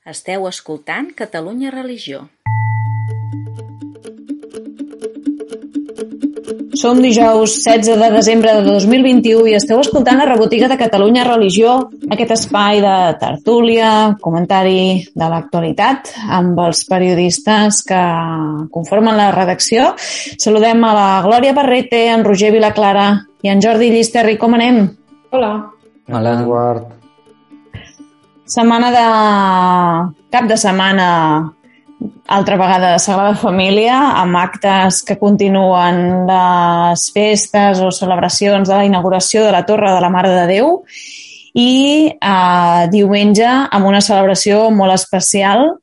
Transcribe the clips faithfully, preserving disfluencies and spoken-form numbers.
Esteu escoltant Catalunya Religió. Som dijous setze de desembre de dos mil vint-i-u i esteu escoltant la rebotiga de Catalunya Religió, aquest espai de tertúlia, comentari de l'actualitat amb els periodistes que conformen la redacció. Saludem a la Glòria Barrete, en Roger Vilaclara i en Jordi Llisterri. Com anem? Hola. Hola, Eduard. Setmana de... cap de setmana, altra vegada de Sagrada Família, amb actes que continuen les festes o celebracions de la inauguració de la Torre de la Mare de Déu i eh, diumenge amb una celebració molt especial,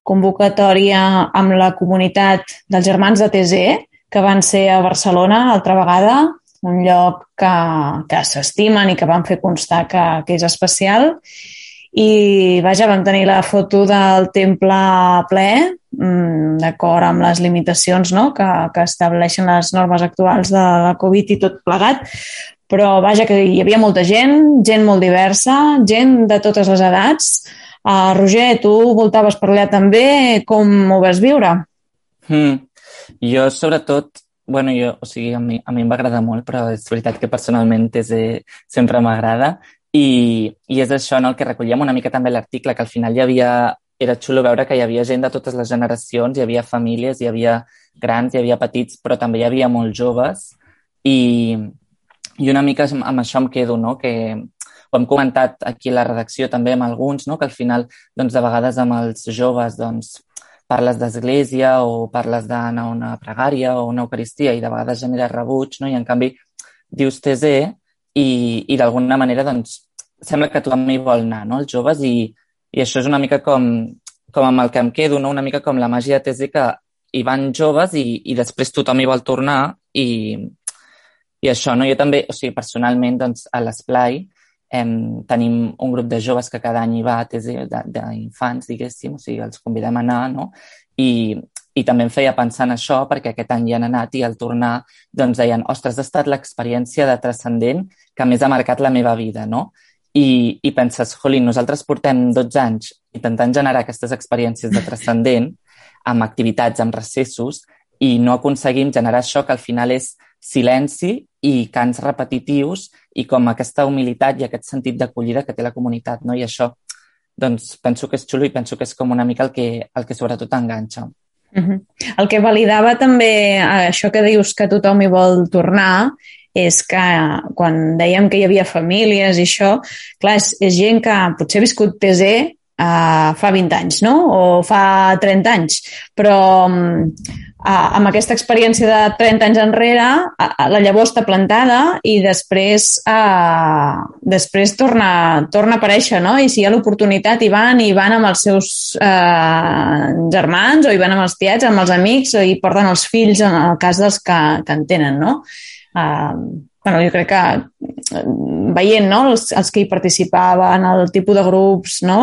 convocatòria amb la comunitat dels Germans de Tesé, que van ser a Barcelona altra vegada, un lloc que, que s'estimen i que van fer constar que, que és especial. I vaja, vam tenir la foto del temple ple, d'acord amb les limitacions, no?, que, que estableixen les normes actuals de la Covid i tot plegat, però vaja, que hi havia molta gent, gent molt diversa, gent de totes les edats. Uh, Roger, tu voltaves per allà també, com ho vas viure? Mm. Jo, sobretot, bueno, jo, o sigui, a mi, a mi em va agradar molt, però és veritat que personalment és, eh, sempre m'agrada. I, i és això, no?, el que recollíem una mica també l'article, que al final hi havia, era xulo veure que hi havia gent de totes les generacions, hi havia famílies, hi havia grans, hi havia petits, però també hi havia molt joves i, i una mica amb això em quedo, no?, que ho hem comentat aquí a la redacció també amb alguns, no?, que al final, doncs, de vegades amb els joves, doncs, parles d'església o parles d'anar a una pregària o una eucaristia i de vegades genera rebuig, no?, i en canvi dius Tesé i, i d'alguna manera, doncs, sembla que tothom hi vol anar, no?, els joves, i, i això és una mica com, com amb el que em quedo, no?, una mica com la màgia de Tesé, que hi van joves i, i després tothom hi vol tornar i, i això, no?, jo també, o sigui, personalment, doncs, a l'Esplai eh, tenim un grup de joves que cada any hi va a Tesé, d'infants, diguéssim, o sigui, els convidem a anar, no?, i, i també em feia pensar en això, perquè aquest any hi han anat i al tornar doncs deien, ostres, ha estat l'experiència de transcendent que més ha marcat la meva vida, no? I, i penses, jolín, nosaltres portem dotze anys intentant generar aquestes experiències de transcendent amb activitats, amb recessos, i no aconseguim generar això que al final és silenci i cants repetitius i com aquesta humilitat i aquest sentit d'acollida que té la comunitat, no? I això, doncs, penso que és xulo i penso que és com una mica el que, el que sobretot enganxa. Uh-huh. El que validava també això que dius que tothom hi vol tornar és que quan dèiem que hi havia famílies i això, clar, és, és gent que potser ha viscut Tesé uh, fa vint anys, no?, o fa trenta anys, però um, uh, amb aquesta experiència de trenta anys enrere, uh, la llavor està plantada i després, uh, després torna, torna a aparèixer, no?, i si hi ha l'oportunitat hi van, i van amb els seus uh, germans, o hi van amb els tiets, amb els amics, o hi porten els fills en el cas dels que, que en tenen, no? Uh, bueno, jo crec que veient, no?, els, els que hi participaven, el tipus de grups, no?,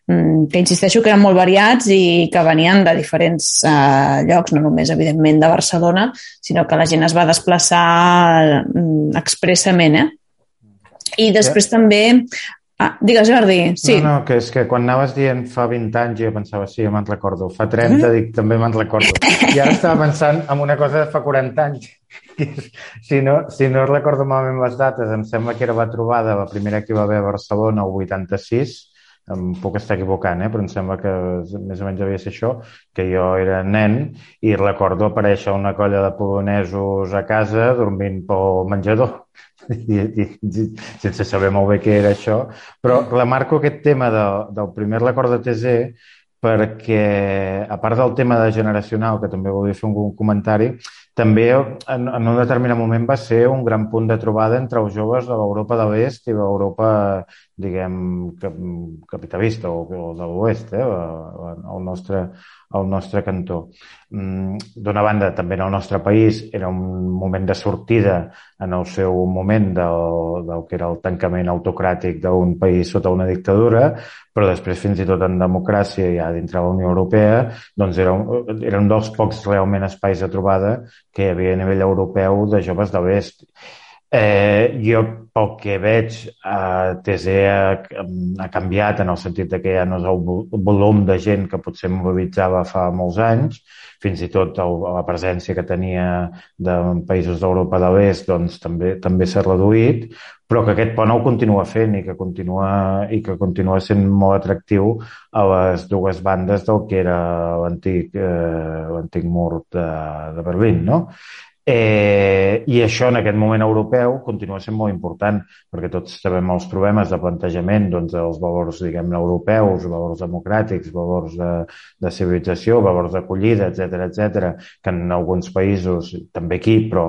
que insisteixo que eren molt variats i que venien de diferents uh, llocs, no només, evidentment, de Barcelona, sinó que la gent es va desplaçar uh, expressament, eh? I després yeah. també... Ah, digues, Jordi, sí. No, no, que és que quan anaves dient fa vint anys jo pensava, sí, me'n recordo. Fa trenta, mm? dic, també me'n recordo. I ara estava pensant en una cosa de fa quaranta anys. Si no, si no recordo malament les dates, em sembla que era la trobada, la primera que hi va haver a Barcelona, el vuitanta-sis, em puc estar equivocant, eh? Però em sembla que més o menys devia ser això, que jo era nen i recordo aparèixer una colla de polonesos a casa dormint pel menjador. I, i, i sense saber molt bé què era això, però remarco aquest tema de, del primer record de Tesé perquè, a part del tema de generacional, que també volia fer un comentari, també en, en un determinat moment va ser un gran punt de trobada entre els joves de l'Europa de l'Est i l'Europa, diguem, capitalista o, o de l'Oest, eh, el nostre, el nostre cantó. D'una banda, també en el nostre país era un moment de sortida en el seu moment del, del que era el tancament autocràtic d'un país sota una dictadura, però després fins i tot en democràcia ja dintre de la Unió Europea, doncs era un, era un dels pocs realment espais de trobada que hi havia a nivell europeu de joves de l'Est. Eh, jo pel que veig, eh, T Z ha, ha canviat en el sentit de que ja no és el volum de gent que potser mobilitzava fa molts anys, fins i tot el, la presència que tenia de països d'Europa de l'Est doncs, també també s'ha reduït, però que aquest pont ho continua fent i que continua, i que continua sent molt atractiu a les dues bandes del que era l'antic eh, l'antic mur de, de Berlín, no? Eh, I això en aquest moment europeu continua sent molt important perquè tots sabem els problemes de plantejament doncs, dels valors, diguem, europeus, valors democràtics, valors de, de civilització, valors d'acollida, etcètera, etcètera, que en alguns països, també aquí, però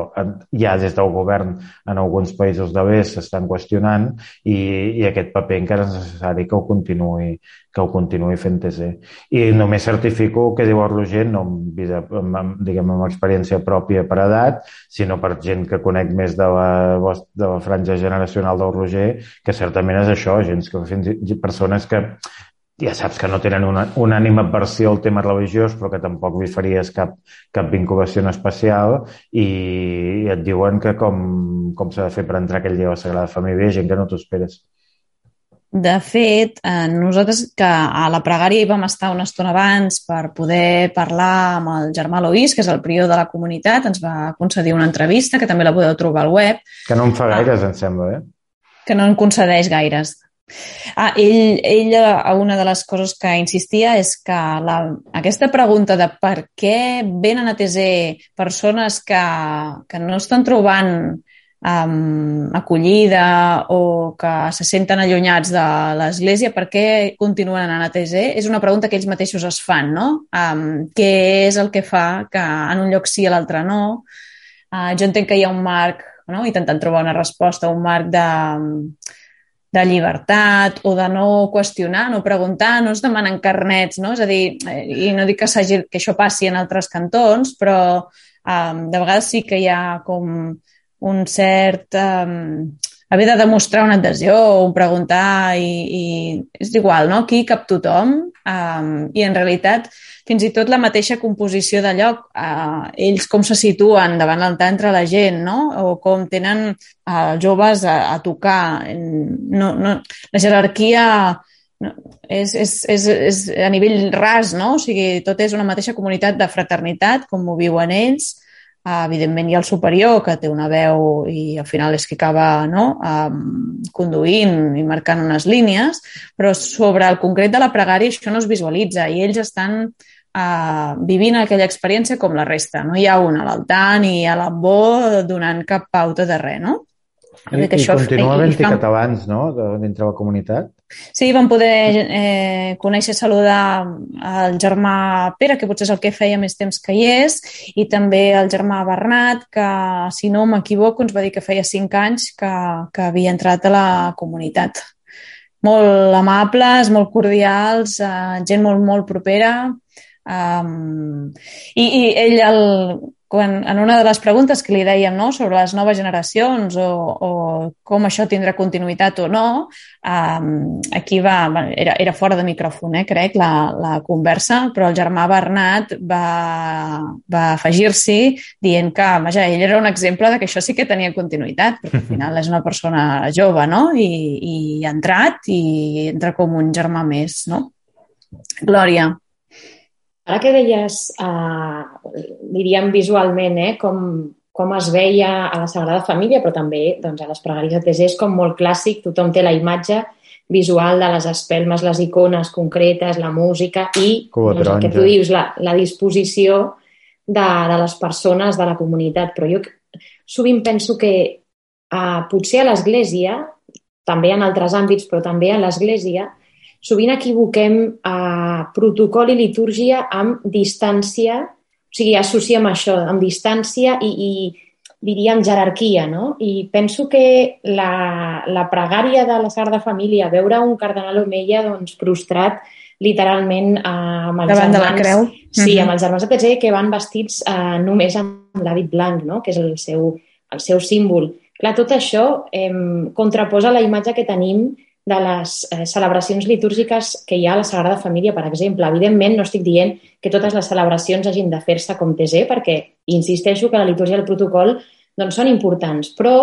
ja des del govern en alguns països de l'est s'estan qüestionant i, i aquest paper encara és necessari que ho continuï que ho continuï fent T C. I només certifico el que diu el Roger, no amb, vida, amb, diguem, amb experiència pròpia per edat, sinó per gent que conec més de la, de la franja generacional del Roger, que certament és això, gent que, fins, persones que ja saps que no tenen una, una ànima aversió al tema religiós, però que tampoc li faries cap, cap vinculació especial i, i et diuen que com, com s'ha de fer per entrar aquell dia a la Sagrada Família, gent que no t'ho esperes. De fet, eh, nosaltres que a la pregària hi vam estar una estona abans per poder parlar amb el germà Loís, que és el prior de la comunitat, ens va concedir una entrevista, que també la podeu trobar al web. Que no en fa gaires, ah, em sembla, eh? Que no en concedeix gaires. Ah, ell, ell, una de les coses que insistia és que la, aquesta pregunta de per què venen a T Z persones que, que no estan trobant Um, acollida o que se senten allunyats de l'Església, per què continuen anant a T Z? És una pregunta que ells mateixos es fan, no? Um, què és el que fa que en un lloc sí i a l'altre no? Uh, jo entenc que hi ha un marc, no? Intentant trobar una resposta, un marc de, de llibertat o de no qüestionar, no preguntar, no es demanen carnets, no? És a dir, i no dic que, que això passi en altres cantons, però um, de vegades sí que hi ha com un cert um, haver de demostrar una adhesió o un preguntar i, i és igual, no? Aquí cap tothom um, i en realitat fins i tot la mateixa composició de lloc, uh, ells com se situen davant l'altar entre la gent, no? O com tenen uh, joves a, a tocar. No, no, la jerarquia no, és, és, és, és a nivell ras, no? O sigui, tot és una mateixa comunitat de fraternitat, com ho viuen ells. Uh, evidentment hi ha el superior que té una veu i al final és qui acaba, no? um, conduint i marcant unes línies, però sobre el concret de la pregària això no es visualitza i ells estan uh, vivint aquella experiència com la resta. No hi ha un a l'altar ni a l'ambó donant cap pauta de res, no? I, i això, continua havent-hi fan... catalans, no?, dintre la comunitat? Sí, vam poder eh, conèixer, saludar el germà Pere, que potser és el que feia més temps que hi és, i també el germà Bernat, que, si no m'equivoco, ens va dir que feia cinc anys que, que havia entrat a la comunitat. Molt amables, molt cordials, eh, gent molt, molt propera. Um, i, i ell, el, quan, en una de les preguntes que li dèiem, no?, sobre les noves generacions o, o com això tindrà continuïtat o no, um, aquí va, era, era fora de micròfon, eh, crec, la, la conversa, però el germà Bernat va, va afegir-s'hi dient que, vaja, ell era un exemple de que això sí que tenia continuïtat, perquè al final és una persona jove, no?, i, i ha entrat i entra com un germà més, no? Glòria. Ara que deies, eh, diríem visualment, eh, com, com es veia a la Sagrada Família, però també doncs, a les pregàries de T Z és com molt clàssic, tothom té la imatge visual de les espelmes, les icones concretes, la música i doncs, el que tu dius, la, la disposició de, de les persones de la comunitat. Però jo sovint penso que eh, potser a l'Església, també en altres àmbits, però també a l'Església, sovint equivoquem eh, protocol i litúrgia amb distància, o sigui, associem això, amb distància i, i diríem jerarquia, no? I penso que la, la pregària de la Sagrada Família, veure un cardenal Omeia doncs, prostrat literalment eh, amb els davant germans... de la creu. Sí, mm-hmm. amb els germans de T Z que van vestits eh, només amb l'hàbit blanc, no? Que és el seu, el seu símbol. Clar, tot això eh, contraposa la imatge que tenim de les eh, celebracions litúrgiques que hi ha a la Sagrada Família, per exemple. Evidentment, no estic dient que totes les celebracions hagin de fer-se com T Z, perquè insisteixo que la litúrgia i el protocol doncs, són importants, però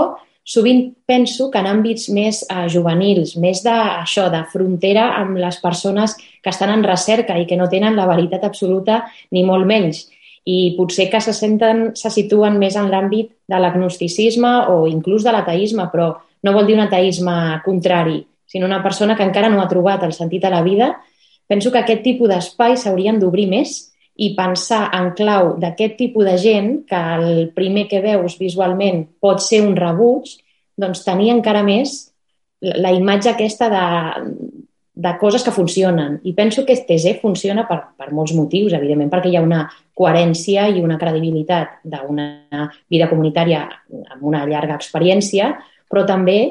sovint penso que en àmbits més eh, juvenils, més d'això, de frontera amb les persones que estan en recerca i que no tenen la veritat absoluta ni molt menys. I potser que se senten, se situen més en l'àmbit de l'agnosticisme o inclús de l'ateisme, però no vol dir un ateisme contrari, sinó una persona que encara no ha trobat el sentit a la vida. Penso que aquest tipus d'espais s'haurien d'obrir més i pensar en clau d'aquest tipus de gent, que el primer que veus visualment pot ser un rebuig, doncs tenir encara més la imatge aquesta de, de coses que funcionen. I penso que T Z funciona per, per molts motius, evidentment, perquè hi ha una coherència i una credibilitat d'una vida comunitària amb una llarga experiència, però també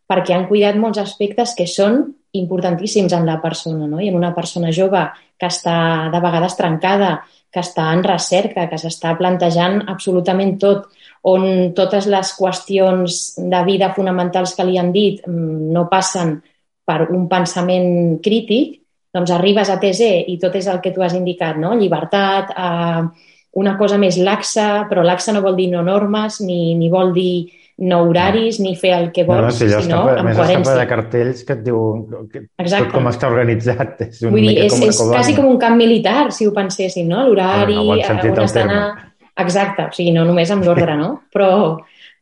perquè han cuidat molts aspectes que són importantíssims en la persona, no? I en una persona jove que està de vegades trencada, que està en recerca, que s'està plantejant absolutament tot, on totes les qüestions de vida fonamentals que li han dit no passen per un pensament crític, doncs arribes a T Z i tot és el que tu has indicat, no? Llibertat, eh, una cosa més laxa, però laxa no vol dir no normes, ni, ni vol dir no horaris, ni fer el que vols, no, no, si sinó escapa, amb més coherència. Més escapa de cartells que et diu que tot com està organitzat. És una Vull dir, mica és, com una és colònia. quasi com un camp militar, si ho penséssim, no? L'horari, no, no on has d'anar... Exacte, o sigui, no només amb l'ordre, no? Però,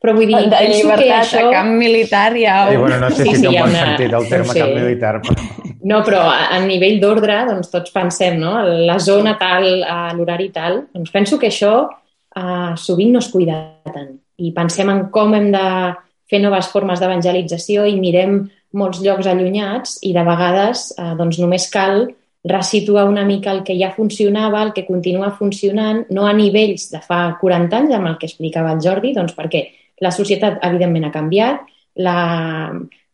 però vull dir, de penso llibertat que això... a camp militar ja... I, bueno, no sé sí, si sí, té un bon una... sentit el terme no sé. camp militar, però... No, però a, a nivell d'ordre, doncs tots pensem, no? La zona tal, l'horari tal. Doncs penso que això eh, sovint no es cuida tant. I pensem en com hem de fer noves formes d'evangelització i mirem molts llocs allunyats i de vegades eh, doncs només cal resituar una mica el que ja funcionava, el que continua funcionant, no a nivells de fa quaranta anys, amb el que explicava el Jordi, doncs perquè la societat evidentment ha canviat, la,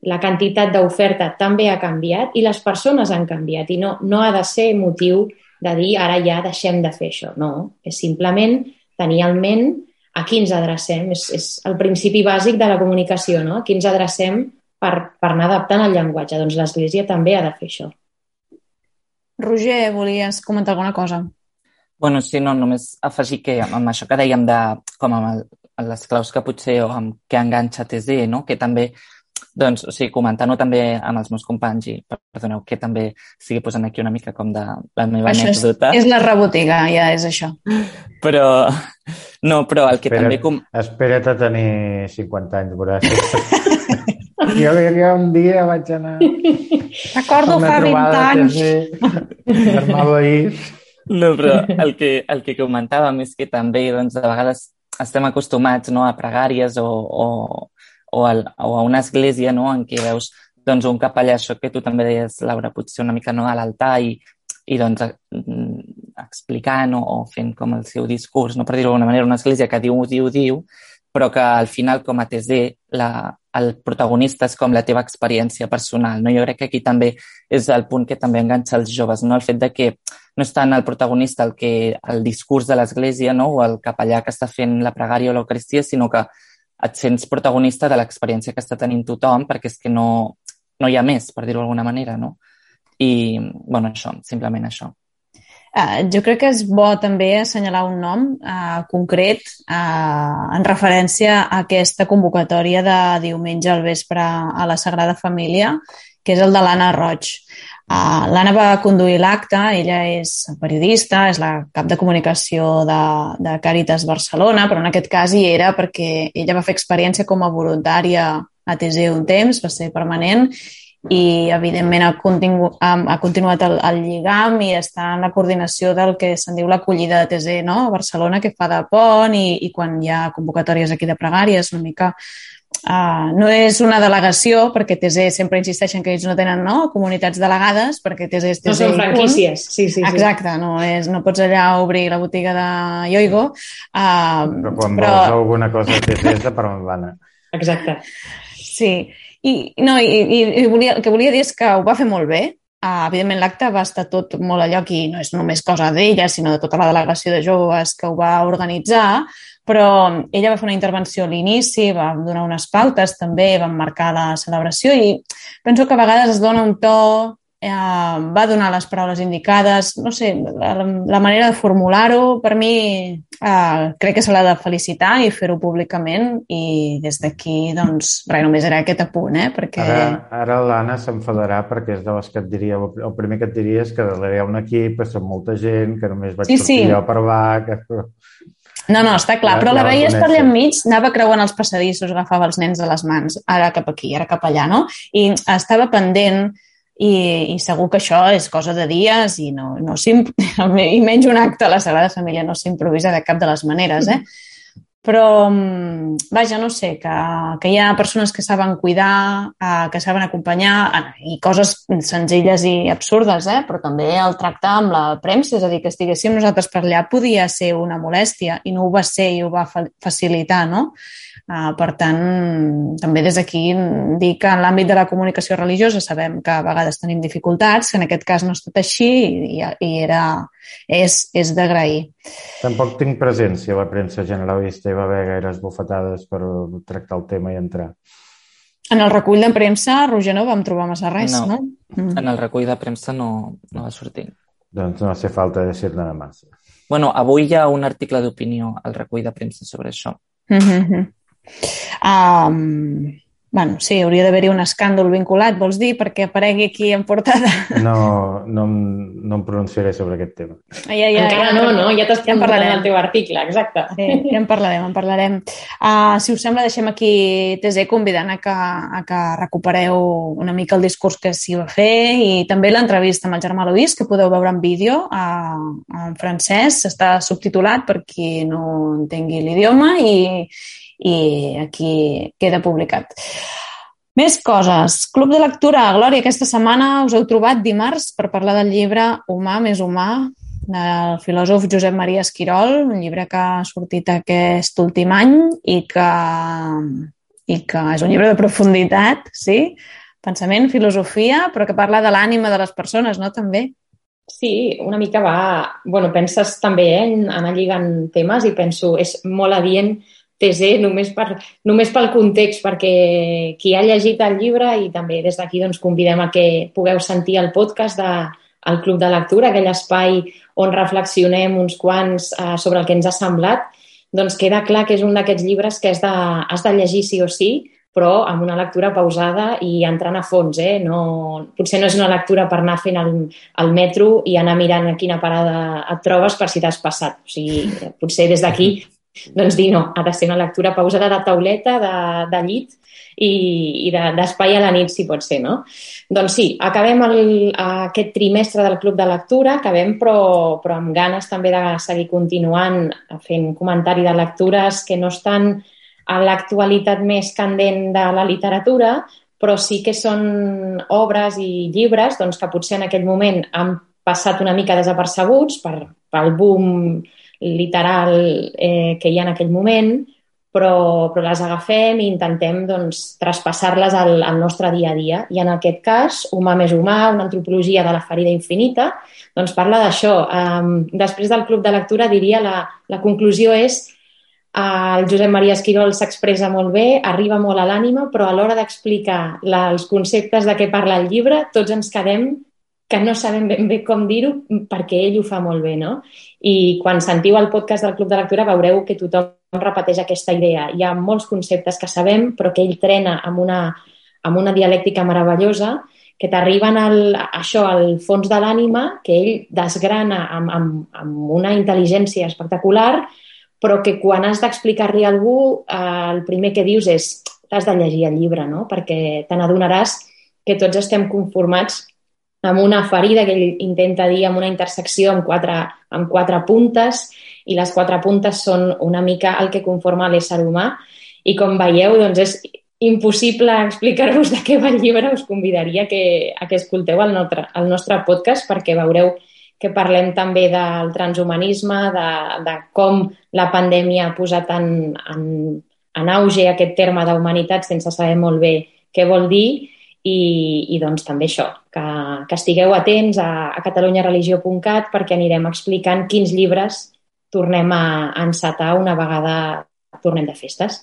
la quantitat d'oferta també ha canviat i les persones han canviat i no, no ha de ser motiu de dir ara ja deixem de fer això, no, és simplement tenir en ment a qui ens adrecem, és, és el principi bàsic de la comunicació, no? A qui ens adrecem per, per anar adaptant el llenguatge. Doncs l'Església també ha de fer això. Roger, volies comentar alguna cosa? Bueno, sí, no, només afegir que amb això que dèiem de, com amb el, les claus que potser o amb què enganxa T Z, no? Que també, doncs, o sigui, comentant-ho també amb els meus companys i, perdoneu, que també sigui posant aquí una mica com de la meva això anècdota. És, és la rebotiga, ja és això. Però, no, però el que Espera, també... Com... Espera't a tenir cinquanta anys, veuràs. jo, jo un dia vaig anar... Recordo fa vint anys. No, però el que, el que comentàvem és que també, doncs, de vegades estem acostumats, no, a pregàries o, o, o, a, o a una església, no, en què veus doncs, un capellà, això que tu també deies, Laura, potser una mica no, a l'altar i, i doncs, explicant o, o fent com el seu discurs, no, per dir-ho d'alguna manera, una església que diu, diu, diu, però que al final, com a T Z, la, el protagonista és com la teva experiència personal, no? Jo crec que aquí també és el punt que també enganxa els joves, no? El fet de que no és tant el protagonista el, que, el discurs de l'església, no? O el capellà que està fent la pregària o l'eucaristia, sinó que et sents protagonista de l'experiència que està tenint tothom, perquè és que no, no hi ha més, per dir-ho d'alguna manera, no? I, bueno, això, simplement això. Uh, jo crec que és bo també assenyalar un nom uh, concret uh, en referència a aquesta convocatòria de diumenge al vespre a la Sagrada Família, que és el de l'Anna Roig. Uh, L'Anna va conduir l'acte, ella és periodista, és la cap de comunicació de, de Càritas Barcelona, però en aquest cas hi era perquè ella va fer experiència com a voluntària a T Z un temps, va ser permanent, i evidentment ha, contingut, ha, ha continuat el, el lligam i està en la coordinació del que se'n diu l'acollida de T Z, no? A Barcelona, que fa de pont i, i quan hi ha convocatòries aquí de pregàries, una mica... Uh, no és una delegació, perquè T Z sempre insisteixen que ells no tenen, no, comunitats delegades, perquè T Z és T Z. No són franquícies, sí, sí, sí. Exacte, no, és, no pots allà obrir la botiga de Yoigo. Uh, però quan però... vols alguna cosa T Z és de per on va anar. Exacte. Sí, i, no, i, i volia, el que volia dir és que ho va fer molt bé. Uh, evidentment, l'acte va estar tot molt a lloc i no és només cosa d'ella, sinó de tota la delegació de joves que ho va organitzar, però ella va fer una intervenció a l'inici, va donar unes pautes també, va marcar la celebració i penso que a vegades es dona un to eh, va donar les paraules indicades, no sé, la, la manera de formular-ho, per mi eh, crec que se l'ha de felicitar i fer-ho públicament i des d'aquí, doncs, res, només era aquest apunt, eh? Perquè... Ara, ara l'Anna s'enfadarà perquè és de les que et diria, el primer que et diria és que darrere hi ha un equip, que som molta gent, que només vaig sí, sortir sí. jo per va... Que... No, no, està clar, Ja- però ja la la veies per allà coneixes. enmig, anava creuant els passadissos, agafava els nens de les mans, ara cap aquí, ara cap allà, no? I estava pendent i, i segur que això és cosa de dies i, no, no s'imp- i menys un acte a la Sagrada Família no s'improvisa de cap de les maneres, eh? Però, mm, vaja, no sé, que, que hi ha persones que saben cuidar, eh, que saben acompanyar, eh, i coses senzilles i absurdes, eh? Però també el tracte amb la premsa, és a dir, que estiguéssim nosaltres per allà podia ser una molèstia i no ho va ser i ho va fa- facilitar, no? Uh, per tant, també des d'aquí dir que en l'àmbit de la comunicació religiosa sabem que a vegades tenim dificultats, que en aquest cas no ha estat així i, i era, és, és d'agrair. Tampoc tinc presència a la premsa generalista, hi va haver gaires bufetades per tractar el tema i entrar. En el recull de premsa, Roger, no vam trobar massa res, No. no? Mm. En el recull de premsa no, no va sortir. Doncs no hace falta decir nada más. Bueno, avui hi ha un article d'opinió al recull de premsa sobre això. Mm-hmm. Um, bueno, sí, hauria d'haver-hi un escàndol vinculat, vols dir, perquè aparegui aquí en portada. No, no, em- no em pronunciaré sobre aquest tema. Ja, ja, Encara ja, no, no? Ja t'has ja en preguntat parlarem. el teu article, exacte. Sí, ja en parlarem, en parlarem. Uh, si us sembla, deixem aquí T Z convidant a que, a que recupereu una mica el discurs que s'hi va fer i també l'entrevista amb el Germà Luis, que podeu veure en vídeo uh, en francès. Està subtitulat per qui no entengui l'idioma i, i aquí queda publicat. Més coses. Club de lectura. Glòria, aquesta setmana us heu trobat dimarts per parlar del llibre Humà més humà, del filòsof Josep Maria Esquirol, un llibre que ha sortit aquest últim any i que, i que és un llibre de profunditat, sí? Pensament, filosofia, però que parla de l'ànima de les persones, no? També. Sí, una mica va... Bueno, penses també eh, en anar lligant temes i penso, és molt adient T Z només, per, només pel context, perquè qui ha llegit el llibre i també des d'aquí doncs, convidem a que pugueu sentir el podcast de, el Club de Lectura, aquell espai on reflexionem uns quants eh, sobre el que ens ha semblat, doncs queda clar que és un d'aquests llibres que has de, has de llegir sí o sí, però amb una lectura pausada i entrant a fons. Eh? No, potser no és una lectura per anar fent el, el metro i anar mirant a quina parada et trobes per si t'has passat. O sigui, potser des d'aquí doncs dir no, ha de ser una lectura pausada de tauleta, de, de llit i, i de, d'espai a la nit, si pot ser, no? Doncs sí, acabem el, aquest trimestre del Club de Lectura, acabem però, però amb ganes també de seguir continuant fent comentari de lectures que no estan a l'actualitat més candent de la literatura, però sí que són obres i llibres doncs, que potser en aquell moment han passat una mica desapercebuts per, pel boom literal eh, que hi ha en aquell moment, però, però les agafem i intentem doncs, traspassar-les al, al nostre dia a dia. I en aquest cas, Humà més humà, una antropologia de la ferida infinita, doncs parla d'això. Um, després del Club de Lectura, diria, la, la conclusió és el Josep Maria Esquirol s'expressa molt bé, arriba molt a l'ànima, però a l'hora d'explicar la, els conceptes de què parla el llibre, tots ens quedem que no sabem ben bé com dir-ho perquè ell ho fa molt bé, no? I quan sentiu el podcast del Club de Lectura veureu que tothom repeteix aquesta idea. Hi ha molts conceptes que sabem, però que ell trena amb una, amb una dialèctica meravellosa que t'arriben al, això, al fons de l'ànima, que ell desgrana amb, amb, amb una intel·ligència espectacular, però que quan has d'explicar-li a algú, eh, el primer que dius és t'has de llegir el llibre, no? Perquè te n'adonaràs que tots estem conformats amb una ferida que ell intenta dir amb una intersecció amb quatre, amb quatre puntes i les quatre puntes són una mica el que conforma l'ésser humà i com veieu doncs és impossible explicar-vos de què va el llibre, us convidaria que, a que escolteu el nostre, el nostre podcast perquè veureu que parlem també del transhumanisme, de, de com la pandèmia ha posat en, en, en auge aquest terme d'humanitat sense saber molt bé què vol dir. I, i doncs també això, que, que estigueu atents a, a catalunya religió punt cat perquè anirem explicant quins llibres tornem a, a encetar una vegada tornem de festes.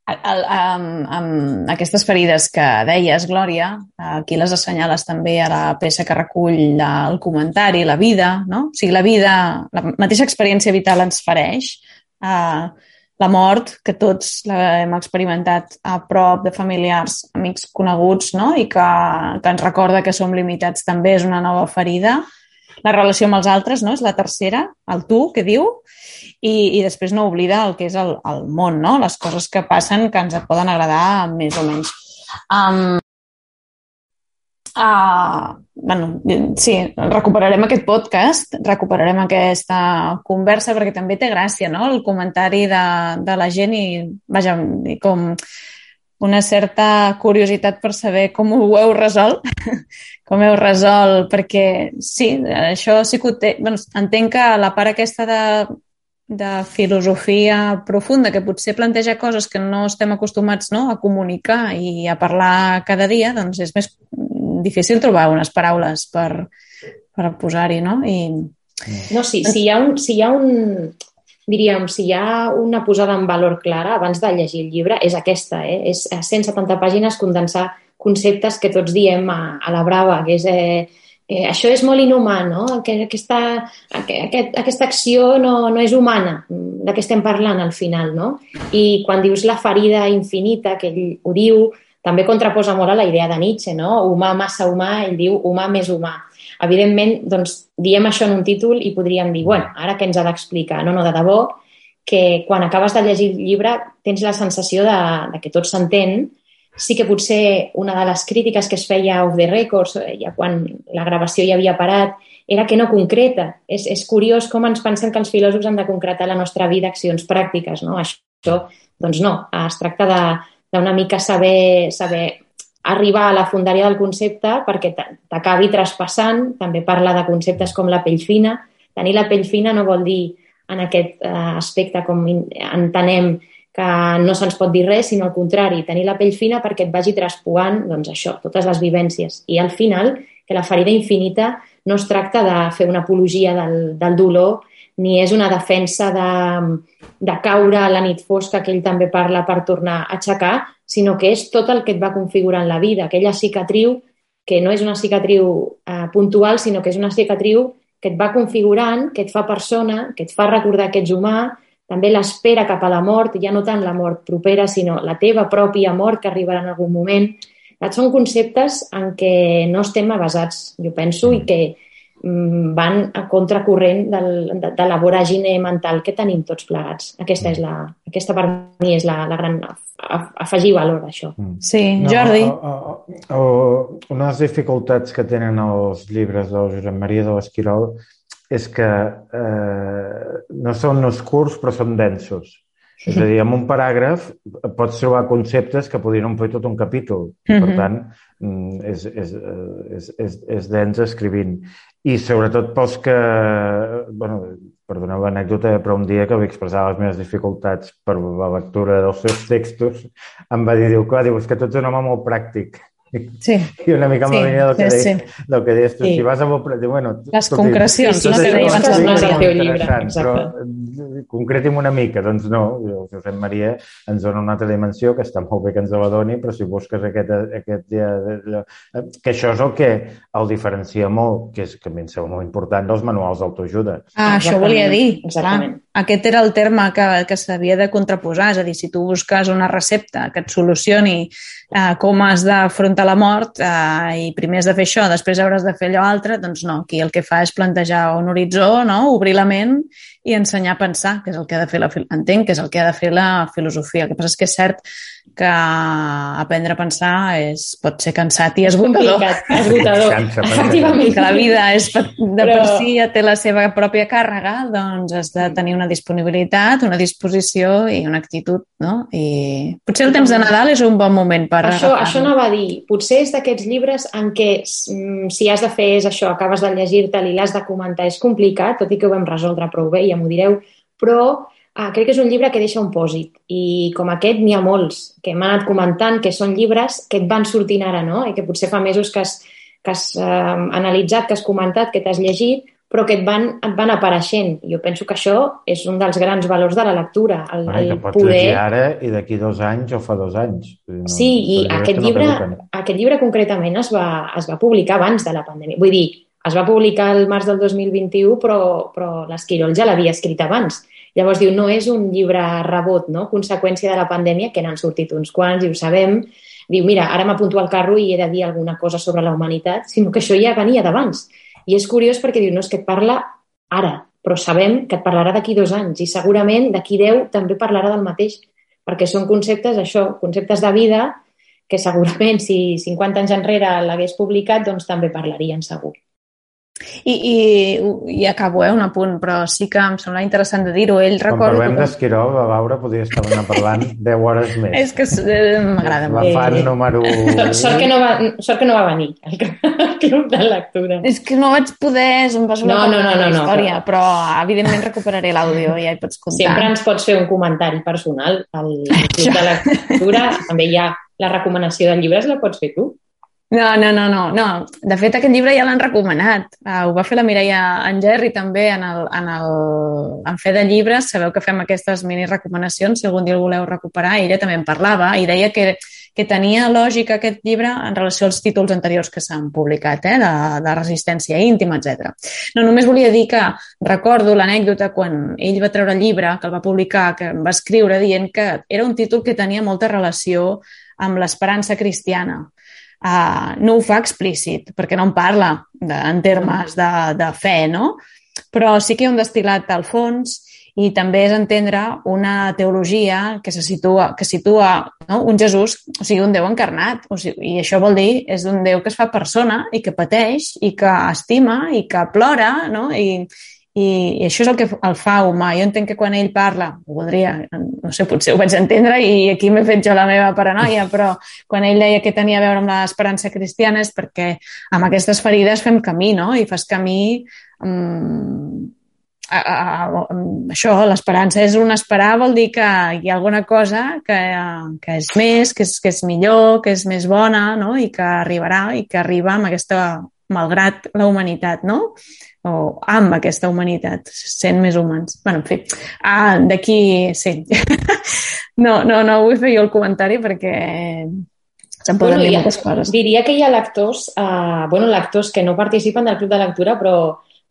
El, amb, amb aquestes ferides que deies, Glòria, aquí les assenyales també a la peça que recull el comentari, la vida, no? O sigui, la vida, la mateixa experiència vital ens fereix, eh, la mort, que tots l'hem experimentat a prop de familiars, amics coneguts, no? I que, que ens recorda que som limitats també és una nova ferida. La relació amb els altres, no? És la tercera, el tu, que diu, i, i després no oblida el que és el, el món, no? Les coses que passen que ens poden agradar més o menys. Um, uh, bueno, sí, recuperarem aquest podcast, recuperarem aquesta conversa perquè també té gràcia, no? El comentari de, de la gent i, vaja, com una certa curiositat per saber com ho heu resolt, com heu resolt, perquè sí, això sí que ho té... Bueno, entenc que la part aquesta de, de filosofia profunda, que potser planteja coses que no estem acostumats, no?, a comunicar i a parlar cada dia, doncs és més difícil trobar unes paraules per, per posar-hi, no? I... No, sí, si hi ha un... Si hi ha un... diríem, si hi ha una posada en valor clara abans de llegir el llibre, és aquesta, eh? És a cent setanta pàgines condensar conceptes que tots diem a, a la brava, que és eh, eh, això és molt inhumà, no? Que, aquesta, aquest, aquesta acció no, no és humana, de què estem parlant al final, no? I quan dius la ferida infinita, que ell ho diu, també contraposa molt a la idea de Nietzsche, no? Humà massa humà, ell diu humà més humà. Evidentment, doncs, diem això en un títol i podríem dir, bueno, ara què ens ha d'explicar? No, no, de debò, que quan acabes de llegir el llibre tens la sensació de, de que tot s'entén. Sí que potser una de les crítiques que es feia off the records, ja quan la gravació ja havia parat, era que no concreta. És, és curiós com ens pensem que els filòsofs han de concretar la nostra vida accions pràctiques, no? Això, doncs no, es tracta de, d'una mica saber, saber arribar a la fondària del concepte perquè t'acabi traspassant. També parla de conceptes com la pell fina. Tenir la pell fina no vol dir en aquest aspecte com entenem que no se'ns pot dir res, sinó al contrari, tenir la pell fina perquè et vagi traspuant, doncs això, totes les vivències. I al final, que la ferida infinita no es tracta de fer una apologia del, del dolor, ni és una defensa de, de caure a la nit fosca, que ell també parla, per tornar a aixecar, sinó que és tot el que et va configurant la vida, aquella cicatriu que no és una cicatriu eh, puntual, sinó que és una cicatriu que et va configurant, que et fa persona, que et fa recordar que ets humà, també l'espera cap a la mort, ja no tant la mort propera, sinó la teva pròpia mort que arribarà en algun moment. Són conceptes en què no estem avasats, jo penso, i que van a contracorrent del, de, de la voràgine mental que tenim tots plegats. Aquesta, és la, aquesta per mi és la, la gran afegir valor, això. Sí, Jordi. No, o, o, o, una de les dificultats que tenen els llibres del Josep Maria de l'Esquirol és que eh, no són uns curts, però són densos. És a dir, en un paràgraf pots trobar conceptes que podrien omplir tot un capítol. Mm-hmm. Per tant, és, és, és, és, és dens escrivint. I sobretot pels que... Bueno, perdoneu l'anècdota, però un dia que vaig expressar les meves dificultats per la lectura dels seus textos, em va dir, diu, clar, diu, és que tu ets un home molt pràctic. Sí. I una mica sí, en la línia del que, sí, deies, sí. del que deies tu. Sí. Si vas a molt... Bueno, les concrecions, sí, sí, no? Que deies abans no és el teu llibre. Però concretim una mica. Doncs no, el Josep Maria ens dona una altra dimensió que està molt bé que ens la doni, però si busques aquest... aquest ja, que això és el que el diferencia molt, que, és, que a mi em sembla molt important, dels manuals d'autoajuda. Ah, això volia dir. Exactament. Clar, aquest era el terme que, que s'havia de contraposar. És a dir, si tu busques una recepta que et solucioni eh, com has d'afrontar la mort eh, i primer has de fer això, després hauràs de fer allò altre, doncs no, aquí el que fa és plantejar un horitzó, no? Obrir la ment i ensenyar a pensar, que és el que ha de fer la, entenc que és el que ha de fer la filosofia. El que passa és que és cert que aprendre a pensar és, pot ser cansat i esgotador. Esgotador, efectivament. Que la vida és, de per si ja té la seva pròpia càrrega, doncs has de tenir una disponibilitat, una disposició i una actitud, no? I potser el temps de Nadal és un bon moment per... Això, això anava a dir. Potser és d'aquests llibres en què si has de fer és això, acabes de llegir-te'l i l'has de comentar, és complicat, tot i que ho vam resoldre prou bé, ja m'ho direu, però ah, crec que és un llibre que deixa un pòsit. I com aquest n'hi ha molts que m'han anat comentant que són llibres que et van sortint ara, no? I que potser fa mesos que has, que has eh, analitzat, que has comentat, que t'has llegit, però que et van, et van apareixent. Jo penso que això és un dels grans valors de la lectura. El, Bueno, el que pots poder... llegir ara i d'aquí dos anys o fa dos anys. No, sí, i aquest llibre, aquest llibre concretament es va, es va publicar abans de la pandèmia. Vull dir, es va publicar el març del dos mil vint-i-u, però, però l'Esquirol ja l'havia escrit abans. Llavors diu, no és un llibre rebot, no? Conseqüència de la pandèmia, que n'han sortit uns quants i ho sabem. Diu, mira, ara m'apunto al carro i he de dir alguna cosa sobre la humanitat, sinó que això ja venia d'abans. I és curiós perquè diu, no, és que et parla ara, però sabem que et parlarà d'aquí dos anys i segurament d'aquí deu també parlarà del mateix, perquè són conceptes, això, conceptes de vida que segurament si cinquanta anys enrere l'hagués publicat, doncs també parlarien segur. I, i, i acabo, eh, un apunt, però sí que em sembla interessant de dir-ho. Ell Quan recordo... parlem d'Esquirol, a Laura podria estar parlant deu hores més. És que eh, m'agrada molt. La fan número... Sort que no va, sort que no va venir al club de lectura. És que no vaig poder, em va sonar no, no, no, no, la història, no, però... però evidentment recuperaré l'àudio i ja hi pots contar. Sempre ens pots fer un comentari personal al club de lectura. També hi ha la recomanació de llibres, la pots fer tu. No, no, no, no, no. De fet, aquest llibre ja l'han recomanat. Uh, ho va fer la Mireia Engerri també en, el, en, el, en Fe de Llibres. Sabeu que fem aquestes mini recomanacions, si algun dia el voleu recuperar. Ella també en parlava i deia que, que tenia lògica aquest llibre en relació als títols anteriors que s'han publicat, eh, de, de resistència íntima, etcètera. No, només volia dir que recordo l'anècdota quan ell va treure el llibre, que el va publicar, que va escriure dient que era un títol que tenia molta relació amb l'esperança cristiana. Uh, no ho fa explícit, perquè no en parla de, en termes de, de fe, no? Però sí que hi ha un destil·lat al fons i també és entendre una teologia que se situa, que situa no? un Jesús, o sigui, un Déu encarnat. O sigui, i això vol dir, és un Déu que es fa persona i que pateix i que estima i que plora, no? I, i, i això és el que el fa humà. Jo entenc que quan ell parla, ho voldria, no sé, potser ho vaig entendre i aquí m'he fet jo la meva paranoia, però quan ell deia que tenia a veure amb l'esperança cristiana és perquè amb aquestes ferides fem camí, no? I fas camí... Um, a, a, a, això, l'esperança és un esperar, vol dir que hi ha alguna cosa que, que és més, que és, que és millor, que és més bona, no? I que arribarà i que arriba amb aquesta, malgrat la humanitat, no? O amb aquesta humanitat, sent més humans. Bueno, en fi, ah, d'aquí, sí. no, no, no vull fer jo el comentari perquè se'n poden bueno, dir moltes coses. Diria que hi ha lectors, uh, bueno, lectors que no participen del Club de Lectura, però,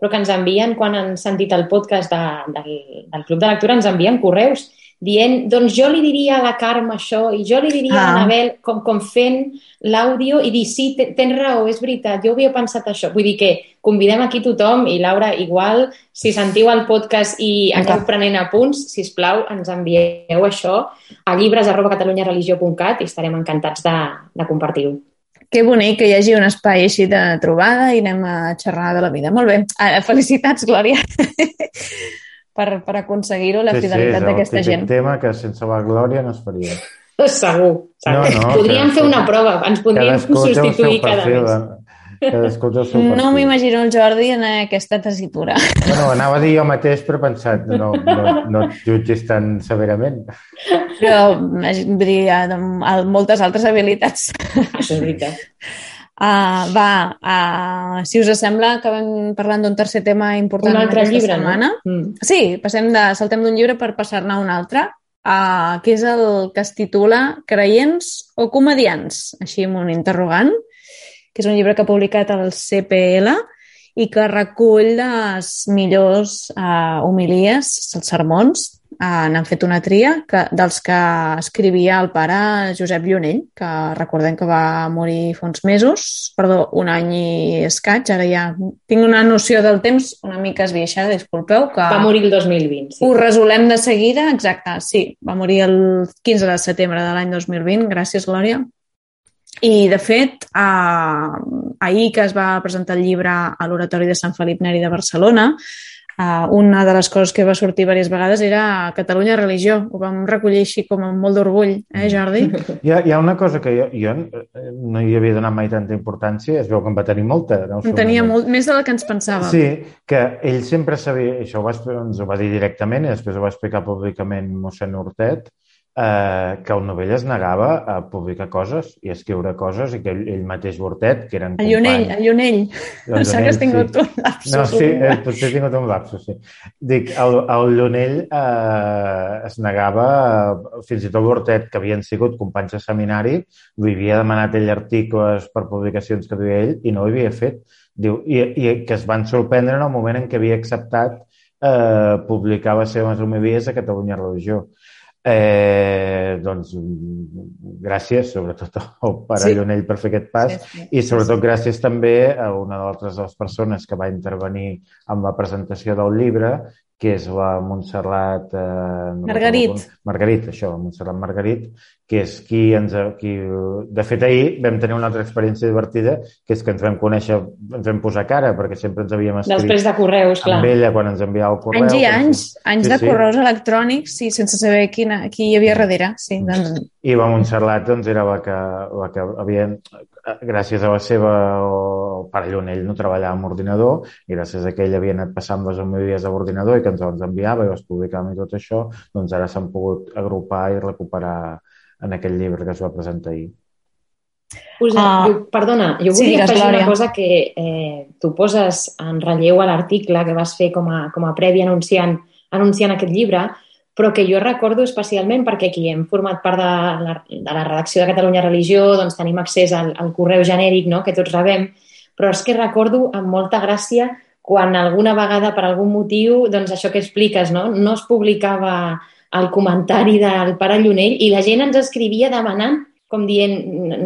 però que ens envien, quan han sentit el podcast de, del, del Club de Lectura, ens envien correus dient, doncs jo li diria a la Carme això i jo li diria ah. a l'Anabel, com, com fent l'àudio i dir, sí, tens raó, és veritat, jo havia pensat això. Vull dir que convidem aquí tothom i Laura, igual, si sentiu el podcast i aneu prenent apunts, sisplau, ens envieu això a llibres arroba catalunyareligió punt cat i estarem encantats de, de compartir-ho. Que bonic que hi hagi un espai així de trobada i anem a xerrar de la vida. Molt bé. Felicitats, Glòria. Per, per aconseguir-ho, la sí, fidelitat sí, d'aquesta gent. Sí, és el típic tema que sense la Glòria no es faria. Segur, segur. No, no, podríem fer una prova, ens podríem substituir cada mes. Cadascú té el seu perfil. No m'imagino el Jordi en aquesta tessitura. Bueno, anava a dir jo mateix, però he pensat, no, no, no et jutgis tan severament. Però, vull dir, moltes altres habilitats. Això és veritat. Uh, va, uh, si us sembla, acabem parlant d'un tercer tema important un altre llibre, setmana. No? Mm. Sí, passem de, saltem d'un llibre per passar-ne a un altre, uh, que és el que es titula Creients o comedians? Així amb un interrogant, que és un llibre que ha publicat el C P L i que recull les millors uh, homilies, els sermons. Uh, n'han fet una tria que, dels que escrivia el pare Josep Llunell, que recordem que va morir fa uns mesos, perdó, un any i escaig, ara ja tinc una noció del temps una mica esbiaixada, disculpeu. Que va morir el dos mil vint, sí. Ho resolem de seguida, exacte, sí, va morir el quinze de setembre de l'any dos mil vint, gràcies, Glòria. I, de fet, eh, ahir que es va presentar el llibre a l'Oratori de Sant Felip Neri de Barcelona, Uh, una de les coses que va sortir diverses vegades era Catalunya Religió. Ho vam recollir així com amb molt d'orgull, eh, Jordi? Hi ha, hi ha una cosa que jo, jo no hi havia donat mai tanta importància, es veu que en va tenir molta. No? En tenia molt, més de la que ens pensàvem. Sí, que ell sempre sabia, això ho va, ens ho va dir directament i després ho va explicar públicament mossèn Hortet, eh, que el novell es negava a publicar coses i a escriure coses i que ell, ell mateix Bortet, que eren companys... El Llunell, el Llunell. El Sap que has tingut sí. un lapsus. No, sí, eh, potser he tingut un lapsus, sí. Dic, el, el Llunell eh, es negava, eh, fins i tot Bortet, que havien sigut companys de seminari, li havia demanat ell articles per publicacions que duia ell i no ho havia fet. Diu, i, i que es van sorprendre en el moment en què havia acceptat eh, publicar les seves homilies a Catalunya Religió. Eh, doncs gràcies sobretot al pare sí. Llunell per fer aquest pas sí, sí. i sobretot gràcies també a una d'altres de les persones que va intervenir en la presentació del llibre, que és la Montserrat eh, no Margarit. Margarit, això, la Montserrat Margarit, que és qui ens... Qui, de fet, ahir vam tenir una altra experiència divertida, que és que ens vam conèixer, ens vam posar cara, perquè sempre ens havíem escrit... Després de correus, clar. Amb ella, quan ens enviava el correu. Anys i anys, si... anys sí, de sí. correus electrònics, sí, sense saber quina, qui hi havia darrere. Sí, doncs... I la Montserrat doncs, era la que, la que havia... Gràcies a la seva... El pare Llunell no treballava amb ordinador i gràcies a que ell havia anat passant les homilies a l'ordinador i que ens les enviava i les publicàvem i tot això, doncs ara s'han pogut agrupar i recuperar en aquell llibre que es va presentar ahir. Us, uh, jo, perdona, jo volia sí, afegir una cosa que eh, tu poses en relleu a l'article que vas fer com a, com a previ anunciant, anunciant aquest llibre, però que jo recordo especialment perquè aquí hem format part de la, de la redacció de Catalunya Religió, doncs tenim accés al, al correu genèric, no?, que tots rebem, però és que recordo amb molta gràcia quan alguna vegada, per algun motiu, doncs això que expliques, no, no es publicava el comentari del pare Llunell i la gent ens escrivia demanant, com dient,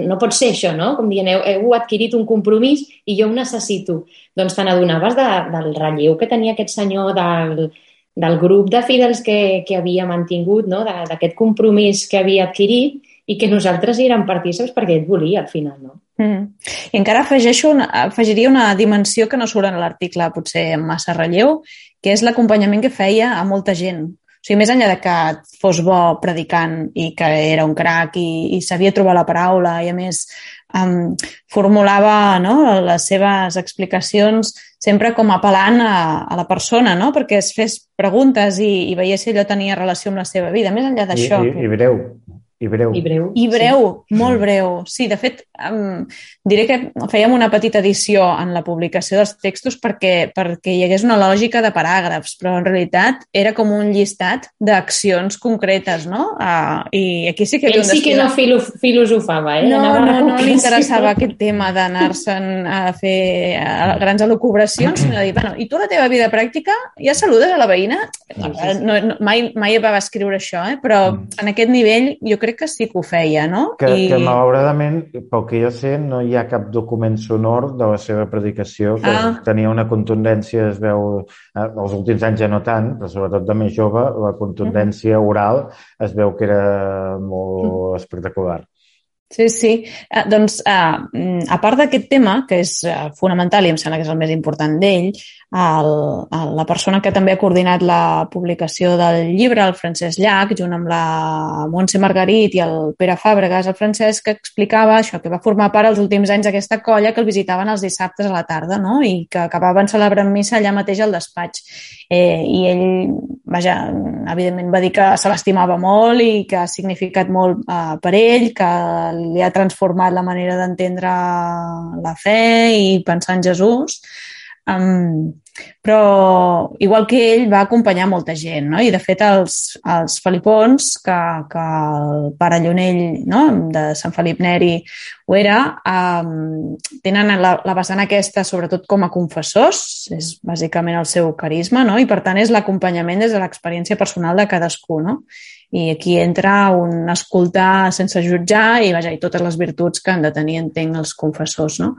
no pot ser això, no? Com dient, heu, heu adquirit un compromís i jo ho necessito. Doncs te n'adonaves de, del relleu que tenia aquest senyor del... del grup de fidels que, que havia mantingut, no? D'aquest compromís que havia adquirit i que nosaltres hi érem partícips perquè ell volia al final, no? Mm. I encara afegeixo una, afegiria una dimensió que no surt en l'article potser amb massa relleu, que és l'acompanyament que feia a molta gent. O sigui, més enllà de que fos bo predicant i que era un crac i, i sabia trobar la paraula i, a més, um, formulava, no?, les seves explicacions sempre com apel·lant a, a la persona, no?, perquè es fes preguntes i, i veiés si allò tenia relació amb la seva vida. Més enllà d'això... I, i, i breu. I breu. I breu. I breu, sí. molt breu. Sí, de fet, um, diré que fèiem una petita edició en la publicació dels textos perquè, perquè hi hagués una lògica de paràgrafs, però en realitat era com un llistat d'accions concretes, no? Uh, I aquí sí que... Ell sí que no filo, filosofava, eh? No, Anava no, no li interessava aquest tema d'anar-se'n a fer a grans elucubracions, sinó de dir, bueno, i tu la teva vida pràctica ja saludes a la veïna? No, no, no, mai, mai va escriure això, eh? Però en aquest nivell jo crec que sí que ho feia, no? Que, I... que malauradament, pel que jo sé, no hi ha cap document sonor de la seva predicació, que ah. tenia una contundència, es veu, eh, els últims anys ja no tant, però sobretot de més jove, la contundència uh-huh. oral es veu que era molt uh-huh. espectacular. Sí, sí. Eh, doncs, eh, a part d'aquest tema, que és eh, fonamental i em sembla que és el més important d'ell, el, el, la persona que també ha coordinat la publicació del llibre, el Francesc Llach, junt amb la Montse Margarit i el Pere Fàbregas, el Francesc, que explicava això, que va formar part els últims anys d'aquesta colla que el visitaven els dissabtes a la tarda, no?, i que acabaven celebrant missa allà mateix al despatx. Eh, I ell, vaja, evidentment va dir que se l'estimava molt i que ha significat molt eh, per ell, que li ha transformat la manera d'entendre la fe i pensar en Jesús. Um, però igual que ell va acompanyar molta gent, no? I de fet els, els felipons que, que el pare Llunell, no?, de Sant Felip Neri ho era, um, tenen la, la vessant aquesta sobretot com a confessors, és bàsicament el seu carisma, no?, i per tant és l'acompanyament des de l'experiència personal de cadascú, no? I aquí entra un escoltar sense jutjar i, vaja, i totes les virtuts que han de tenir, entenc, els confessors, no?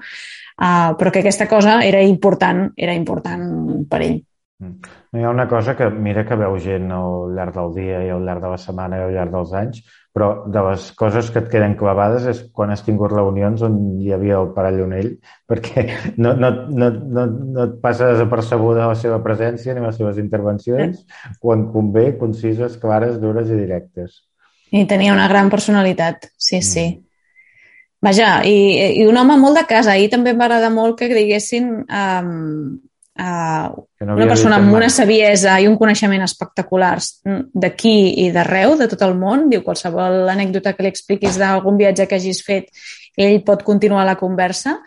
Uh, però que aquesta cosa era important, era important per ell. No hi ha una cosa que mira que veu gent al llarg del dia i al llarg de la setmana i al llarg dels anys, però de les coses que et queden clavades és quan has tingut reunions on hi havia el pare Llunell, perquè no, no, no, no, no et passa desapercebuda la seva presència ni les seves intervencions, quan convé, concises, clares, dures i directes. I tenia una gran personalitat, sí, sí. Mm. Vaja, i, i un home molt de casa. Ahir també em va agradar molt que diguessin um, Uh, no una persona amb una saviesa i un coneixement espectaculars d'aquí i d'arreu, de tot el món. Diu, qualsevol anècdota que li expliquis d'algun viatge que hagis fet, ell pot continuar la conversa,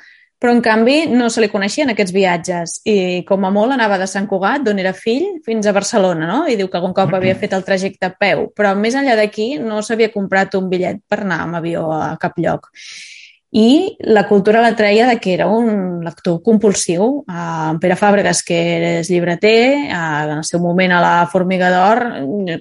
però en canvi no se li coneixien aquests viatges i com a molt anava de Sant Cugat, d'on era fill, fins a Barcelona, no? I diu que algun cop havia fet el trajecte a peu, però més enllà d'aquí no s'havia comprat un bitllet per anar amb avió a cap lloc. I la cultura la treia de que era un lector compulsiu. En Pere Fàbregas, que és llibreter, en el seu moment a la Formiga d'Or,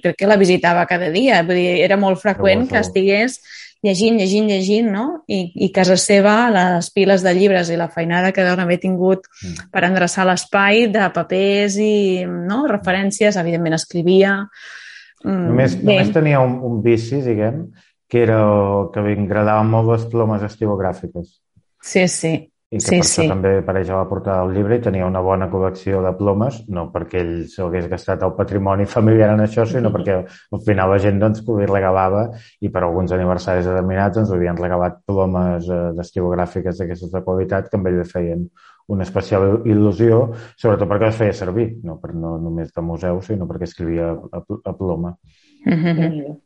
crec que la visitava cada dia. Vull dir, era molt freqüent que estigués llegint, llegint, llegint, no? I, i casa seva, les piles de llibres i la feinada que deuen haver tingut per endreçar l'espai de papers i no? referències, evidentment escrivia. Només, només tenia un, un vici, diguem, que era que m'agradaven molt les plomes estilogràfiques. Sí, sí. I que sí, per sí. això també apareix a la portada del llibre i tenia una bona col·lecció de plomes, no perquè ell s'hagués gastat el patrimoni familiar en això, sinó perquè al final la gent doncs, li regalava, i per alguns aniversaris determinats ens havien regalat plomes eh, estilogràfiques d'aquestes de qualitat que amb ell li feien una especial il·lusió, sobretot perquè les feia servir, no, per, no només de museu, sinó perquè escrivia a, a ploma. Mm-hmm.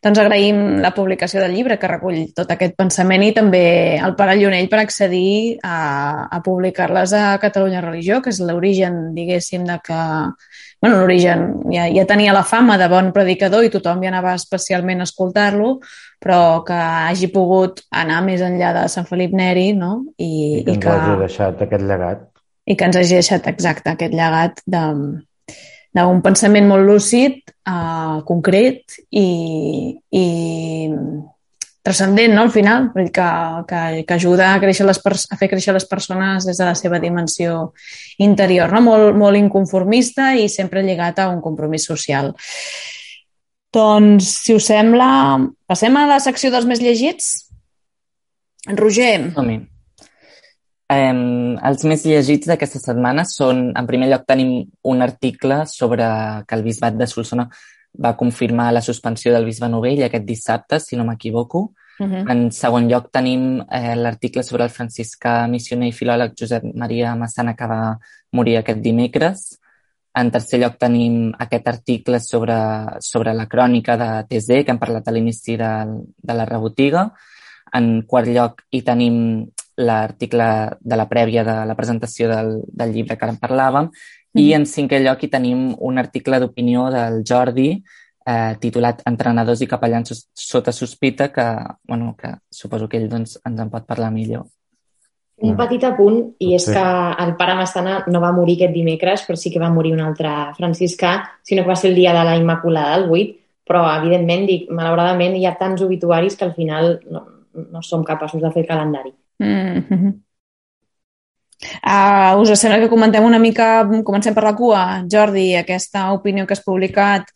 Doncs agraïm la publicació del llibre que recull tot aquest pensament i també el Pare Lleonell per accedir a, a publicar-les a Catalunya Religió, que és l'origen, diguéssim, de que... Bueno, l'origen ja, ja tenia la fama de bon predicador i tothom ja anava especialment a escoltar-lo, però que hagi pogut anar més enllà de Sant Felip Neri, no? I, I que ens i que, hagi deixat aquest llegat. I que ens hagi deixat, exacte, aquest llegat de... d'un pensament molt lúcid, uh, concret i, i transcendent, no?, al final, que, que, que ajuda a, créixer les a fer créixer les persones des de la seva dimensió interior, no? Molt, molt inconformista i sempre lligat a un compromís social. Doncs, si us sembla, passem a la secció dels més llegits? Roger. Som-hi. Um, els més llegits d'aquesta setmana són, en primer lloc, tenim un article sobre que el bisbat de Solsona va confirmar la suspensió del bisbe Novell aquest dissabte, si no m'equivoco. Uh-huh. En segon lloc, tenim eh, l'article sobre el franciscà missioner i filòleg Josep Maria Massana, que va morir aquest dimecres. En tercer lloc, tenim aquest article sobre, sobre la crònica de T Z, que hem parlat a l'inici de, de la rebotiga. En quart lloc, hi tenim l'article de la prèvia de la presentació del, del llibre que ara en parlàvem, mm. i en cinquè lloc hi tenim un article d'opinió del Jordi eh, titulat Entrenadors i capellans sota sospita, que, bueno, que suposo que ell doncs, ens en pot parlar millor. Un petit apunt, i és que el pare Massana no va morir aquest dimecres, però sí que va morir un altre franciscà, sinó que va ser el dia de la Immaculada, el vuit, però evidentment, dic, malauradament hi ha tants obituaris que al final no, no som capaços de fer el calendari. Mm-hmm. Uh, us sembla que comentem una mica, comencem per la cua, Jordi, aquesta opinió que has publicat,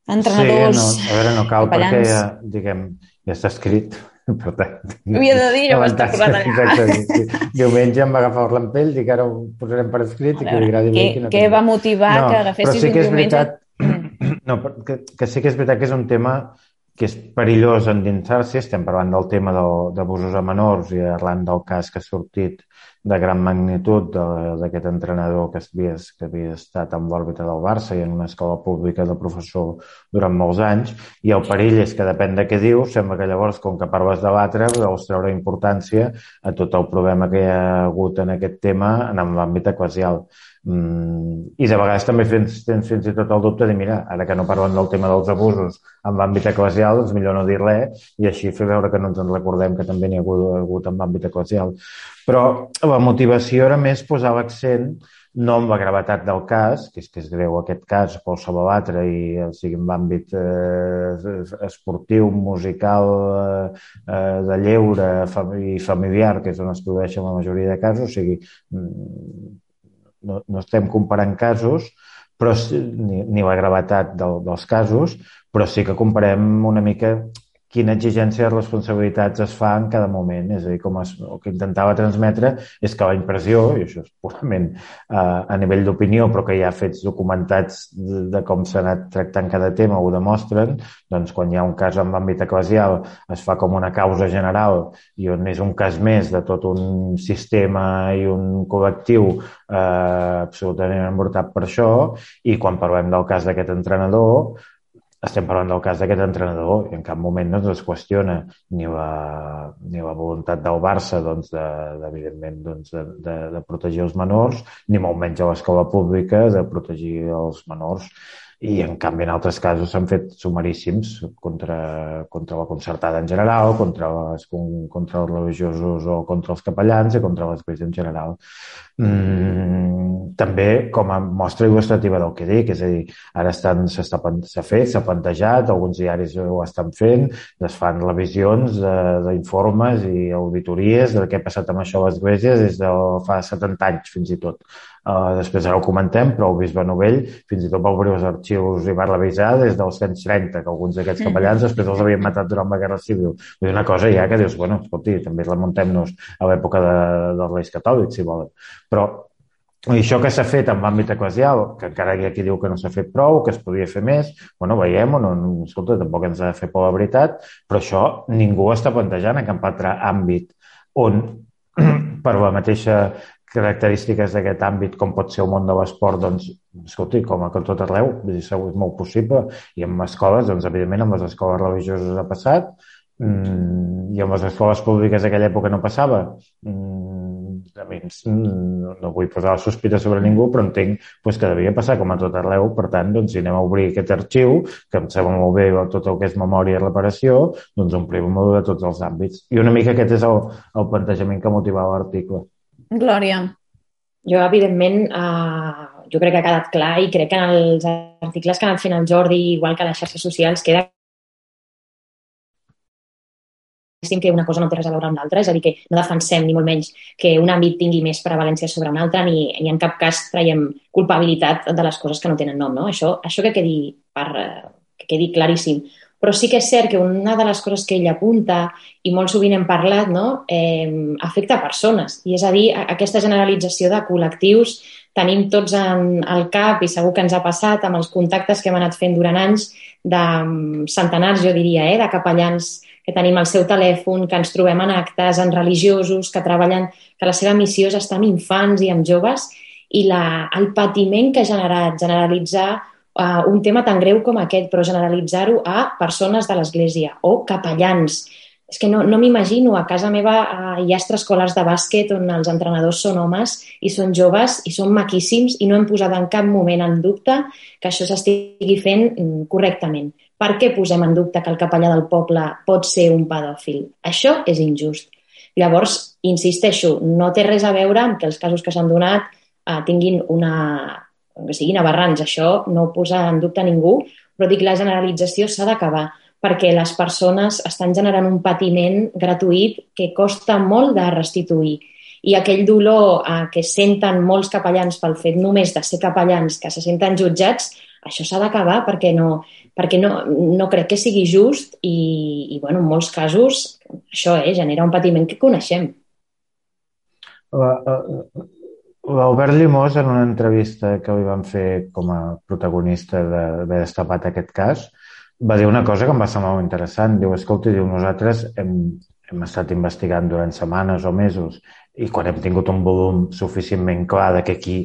entrenadors... Sí, no, a veure, no cal, capellans. perquè ja, diguem, ja està escrit. Per tant, havia de dir, jo vaig estar posant allà. Exacte. Diumenge em va agafar el rampell, dic ara ho posarem per escrit i que li agradi bé. Què, què va motivar no, que agafessis sí un que diumenge? Veritat, no, que, que sí que és veritat que és un tema que és perillós endinsar-s'hi. Estem parlant del tema d'abusos a menors i arran del cas que ha sortit de gran magnitud d'aquest entrenador que havia, que havia estat en l'òrbita del Barça i en una escola pública de professor durant molts anys, i el perill és que depèn de què diu, sembla que llavors, com que parles de l'altre, vols treure importància a tot el problema que hi ha hagut en aquest tema en l'àmbit eclesial. Mm, i de vegades també tens, tens fins i tot el dubte de mira, ara que no parlen del tema dels abusos en l'àmbit eclesial, doncs millor no dir res i així fer veure que no ens en recordem que també n'hi ha hagut, hagut en l'àmbit eclesial. Però la motivació era més posar l'accent no amb la gravetat del cas, que és que és greu aquest cas, qualsevol altre, i o sigui, en l'àmbit eh, esportiu, musical, eh, de lleure i familiar, que és on es produeixen la majoria de casos, o sigui, no, no estem comparant casos, però ni, ni la gravetat del, dels casos, però sí que comparem una mica quina exigència de responsabilitats es fa en cada moment. És a dir, com es, el que intentava transmetre és que la impressió, i això és purament eh, a nivell d'opinió, però que hi ha fets documentats de, de com s'ha anat tractant cada tema, ho demostren, doncs quan hi ha un cas en l'àmbit eclesial es fa com una causa general i on és un cas més de tot un sistema i un col·lectiu eh, absolutament embrutat per això, i quan parlem del cas d'aquest entrenador estem parlant del cas d'aquest entrenador i en cap moment no es qüestiona ni la, ni la voluntat del Barça doncs, de, de, evidentment doncs, de, de, de protegir els menors, ni molt menys a l'escola pública de protegir els menors. I, en canvi, en altres casos s'han fet sumaríssims contra, contra la concertada en general, contra, les, contra els religiosos o contra els capellans i contra l'església en general. Mm, també com a mostra il·lustrativa del que dic, és a dir, ara estan, s'està, s'ha fet, s'ha plantejat, alguns diaris ho estan fent, es fan revisions d'informes i auditories de què ha passat amb això a l'església des de fa setanta anys, fins i tot. Uh, després ara ho comentem, però el bisbe Novell fins i tot va obrir els arxius i va revisar des dels anys trenta, que alguns d'aquests capellans després els havien matat durant la Guerra Civil. És una cosa ja que dius, bueno, escolti, també remuntem-nos a l'època de, dels Reis Catòlics, si volen. Però i això que s'ha fet en l'àmbit eclesial, que encara hi ha qui diu que no s'ha fet prou, que es podia fer més, bueno, veiem, no, escolta, tampoc ens ha de fer por la veritat, però això ningú està plantejant en cap altre àmbit on per la mateixa característiques d'aquest àmbit, com pot ser el món de l'esport, doncs, escolti, com a tot arreu, és molt possible. I en escoles, doncs, evidentment, amb les escoles religioses ha passat, i amb les escoles públiques d'aquella època no passava. A mi no vull posar la sospita sobre ningú, però entenc doncs, que devia passar com a tot arreu. Per tant, doncs, si anem a obrir aquest arxiu, que em sembla molt bé tot el que és memòria i reparació, doncs omplim-ho de tots els àmbits. I una mica aquest és el, el plantejament que motivava l'article. Glòria. Jo, evidentment, eh, jo crec que ha quedat clar i crec que en els articles que ha anat fent el Jordi, igual que a les xarxes socials, queda que una cosa no té res a veure amb l'altra, és a dir, que no defensem ni molt menys que un àmbit tingui més prevalència sobre un altre ni, ni en cap cas traiem culpabilitat de les coses que no tenen nom, no? Això, això que quedi, per, que quedi claríssim. Però sí que és cert que una de les coses que ell apunta, i molt sovint hem parlat, no? eh, afecta a persones. I és a dir, aquesta generalització de col·lectius tenim tots en el cap, i segur que ens ha passat amb els contactes que hem anat fent durant anys, de centenars, jo diria, eh, de capellans que tenim al seu telèfon, que ens trobem en actes, en religiosos, que treballen, que la seva missió és estar amb infants i amb joves, i la, el patiment que ha generat, generalitzar Uh, un tema tan greu com aquest, però generalitzar-ho a persones de l'Església o capellans. És que no, no m'imagino, a casa meva uh, hi ha extraescolars de bàsquet on els entrenadors són homes i són joves i són maquíssims i no hem posat en cap moment en dubte que això s'estigui fent correctament. Per què posem en dubte que el capellà del poble pot ser un pedòfil? Això és injust. Llavors, insisteixo, no té res a veure amb que els casos que s'han donat uh, tinguin una... que siguin aberrants, això no ho posa en dubte ningú, però dic la generalització s'ha d'acabar, perquè les persones estan generant un patiment gratuït que costa molt de restituir. I aquell dolor eh, que senten molts capellans pel fet només de ser capellans, que se senten jutjats, això s'ha d'acabar perquè, no, perquè no, no crec que sigui just i, i bueno, en molts casos això eh, genera un patiment que coneixem. Uh, uh, L'Albert Llimós, en una entrevista que li van fer com a protagonista d'haver destapat aquest cas, va dir una cosa que em va semblar molt interessant. Diu, escolta, diu, nosaltres hem, hem estat investigant durant setmanes o mesos i quan hem tingut un volum suficientment clar de que aquí,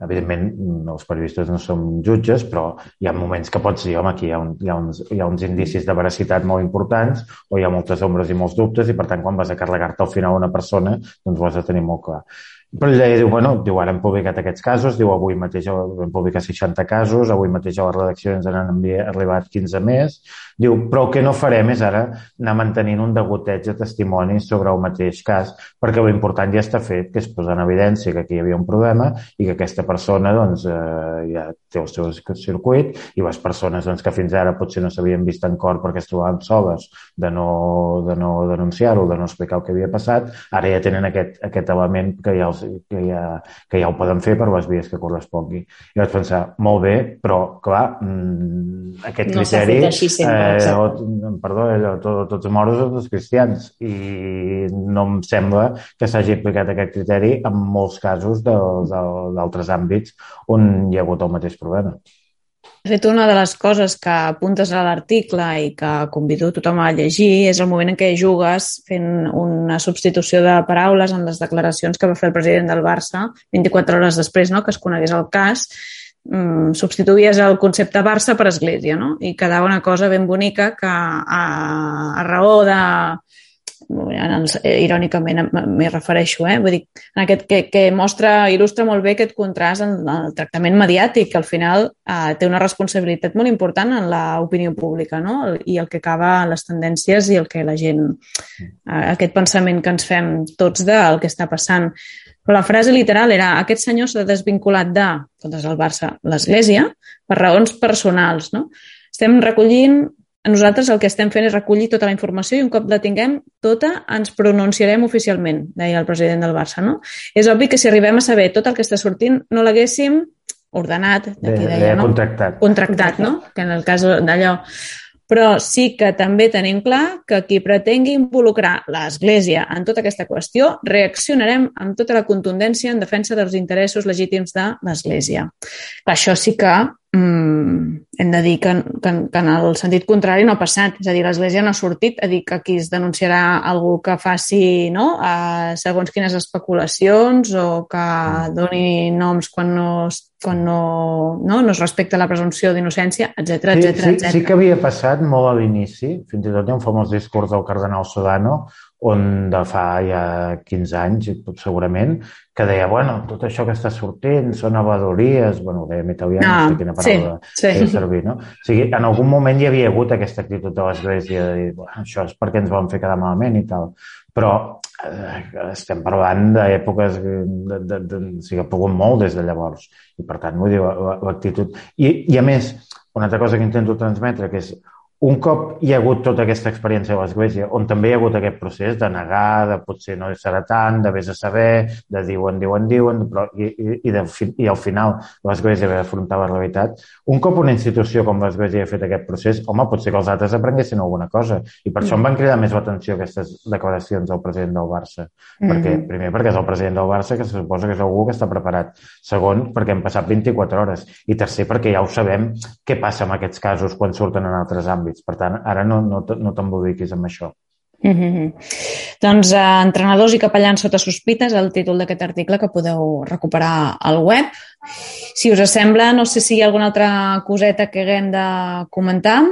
evidentment, els periodistes no som jutges, però hi ha moments que pots dir, home, aquí hi ha, un, hi ha, uns, hi ha uns indicis de veracitat molt importants o hi ha moltes ombres i molts dubtes i, per tant, quan vas a carregar-te al final una persona, doncs ho has de tenir molt clar. Però ell deia, diu, bueno, diu, ara hem publicat aquests casos, diu, avui mateix hem publicat seixanta casos, avui mateix a la redacció ens han arribat quinze més, diu, però el que no farem és ara anar mantenint un degoteig de testimonis sobre el mateix cas, perquè l'important ja està fet, que és posar en evidència que aquí hi havia un problema i que aquesta persona, doncs, eh, ja té el seu circuit i les persones, doncs, que fins ara potser no s'havien vist en cor perquè es trobaven soles de no, de no denunciar-ho, de no explicar el que havia passat, ara ja tenen aquest, aquest element que ja els que ja, que ja ho poden fer per les vies que correspongui. I vaig pensar, molt bé, però, clar, aquest no criteri... No s'ha fet així sempre, eh, o, perdó, allò, tot, tots els moros són els cristians, i no em sembla que s'hagi aplicat aquest criteri en molts casos d'altres àmbits on hi ha hagut el mateix problema. De fet, una de les coses que apuntes a l'article i que convido tothom a llegir és el moment en què jugues fent una substitució de paraules en les declaracions que va fer el president del Barça vint-i-quatre hores després, no?, que es conegués el cas. Mm, substituïes el concepte Barça per Església, no? I quedava una cosa ben bonica que a, a raó de... irònicament m'hi refereixo, eh? Vull dir, en aquest, que, que mostra, il·lustra molt bé aquest contrast en el tractament mediàtic, que al final eh, té una responsabilitat molt important en l'opinió pública, no? I el que acaba les tendències i el que la gent, eh, aquest pensament que ens fem tots del que està passant. Però la frase literal era: aquest senyor s'ha desvinculat de, contra el Barça, l'Església, per raons personals, no? Estem recollint Nosaltres el que estem fent és recollir tota la informació i un cop la tinguem tota ens pronunciarem oficialment, deia el president del Barça, no? És obvi que si arribem a saber tot el que està sortint no l'haguéssim ordenat, d'aquí deia, no? Contractat. Contractat, no? Que en el cas d'allò... Però sí que també tenim clar que qui pretengui involucrar l'Església en tota aquesta qüestió reaccionarem amb tota la contundència en defensa dels interessos legítims de l'Església. Això sí que mm, hem de dir que, que, que en el sentit contrari no ha passat. És a dir, l'Església no ha sortit a dir que aquí es denunciarà algú que faci, no?, a segons quines especulacions o que doni noms quan no quan no, no, no es respecta la presumpció d'innocència, etcètera, sí, etcètera, sí, etcètera. Sí que havia passat molt a l'inici, fins i tot hi ha un famós discurs del cardenal Sodano, on de fa ja quinze anys, segurament, que deia, bueno, tot això que està sortint són avadories, bueno, ho deia en italià, no, no sé quina paraula sí, sí. servir, no? O sigui, en algun moment hi havia hagut aquesta actitud de l'Església de dir, bueno, això és perquè ens van fer quedar malament i tal, però eh, estem parlant d'èpoques de, de, de, o sigui, ha pogut molt des de llavors, i per tant, vull dir, l'actitud... I, I a més, una altra cosa que intento transmetre, que és un cop hi ha hagut tota aquesta experiència a l'Església, on també hi ha hagut aquest procés de negar, de potser no serà tant, de vés a saber, de diuen, diuen, diuen, però, i, i, i, de, i al final l'Església va afrontar la realitat, un cop una institució com l'Església ha fet aquest procés, home, potser que els altres aprenguessin alguna cosa. I per això em van cridar més l'atenció aquestes declaracions del president del Barça. Mm-hmm. Perquè, primer, perquè és el president del Barça, que se suposa que és algú que està preparat. Segon, perquè han passat vint-i-quatre hores. I tercer, perquè ja ho sabem què passa en aquests casos quan surten en altres àmbits. Per tant, ara no, no, no t'emboliquis amb això. Mm-hmm. Doncs eh, entrenadors i capellans sota sospita és el títol d'aquest article que podeu recuperar al web. Si us sembla, no sé si hi ha alguna altra coseta que haguem de comentar.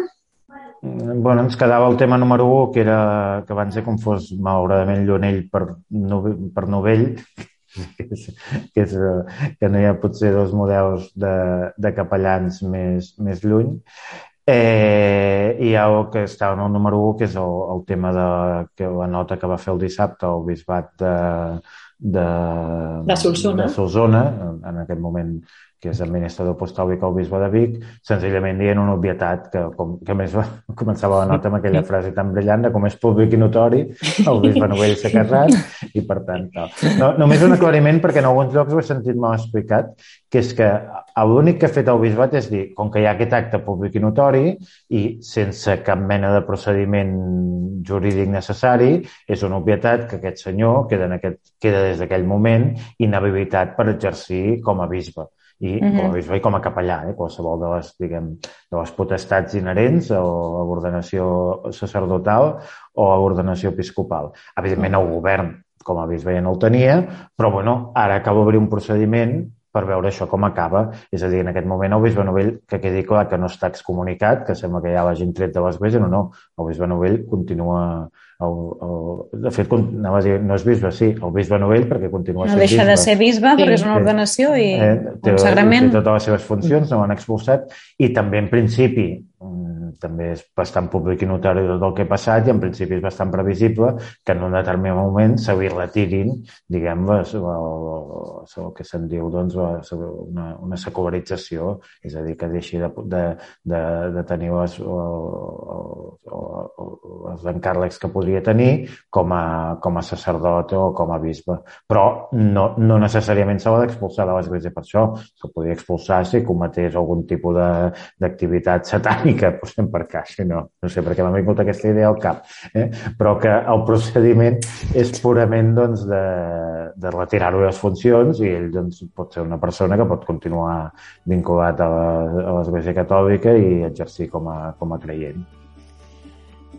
Bueno, ens quedava el tema número u, que era que abans he confós malauradament Llunell per, per Novell, que, és, que, és, que no hi ha potser dos models de, de capellans més, més lluny. Eh, i hi ha el que estava en el número u, que és el, el tema de que la nota que va fer el dissabte el bisbat de, de, de Solsona, de Solsona en, en aquest moment, que és administrador apostòlic al bisbe de Vic, senzillament dient una obvietat que, com, que més va, començava la nota amb aquella frase tan brillant de com és públic i notori, el bisbe Novell s'ha casat i per tant tal. No, només un aclariment perquè en alguns llocs ho he sentit mal explicat, que és que l'únic que ha fet el bisbat és dir, com que hi ha aquest acte públic i notori i sense cap mena de procediment jurídic necessari, és una obvietat que aquest senyor queda, en aquest, queda des d'aquell moment inhabilitat per exercir com a bisbe. I com a bisbe i com a capellà, eh? Qualsevol de les, diguem, de les potestats inherents o a l'ordenació sacerdotal o a l'ordenació episcopal. Evidentment, el govern com a bisbe ja no el tenia, però bueno, ara cal obrir un procediment per veure això com acaba. És a dir, en aquest moment el bisbe Novell, que quedi clar que no està excomunicat, que sembla que ja l'hagin tret de l'Església, no, no, el bisbe Novell continua... El, el, de fet, anava a dir, no és bisbe, sí, el bisbe Novell perquè continua no sent bisbe. No deixa de ser bisbe perquè és una ordenació i eh, un sagrament. Té totes les seves funcions, no l'han expulsat i també en principi també és bastant públic i notori tot el que ha passat i en principi és bastant previsible que en un determinat moment se li retirin, diguem, el, el, el que se'n diu doncs, una, una secularització, és a dir, que deixi de, de, de, de tenir les, els encàrrecs que podria tenir com a, com a sacerdot o com a bisbe. Però no, no necessàriament s'ha d'expulsar de l'Església per això. Se podria expulsar si cometés algun tipus d'activitat satànica, posem per caixa, no, no sé, perquè m'ha vingut aquesta idea al cap, eh? Però que el procediment és purament doncs, de, de retirar-ho les funcions i ell doncs, pot ser una persona que pot continuar vinculat a l'Església Catòlica i exercir com a, com a creient.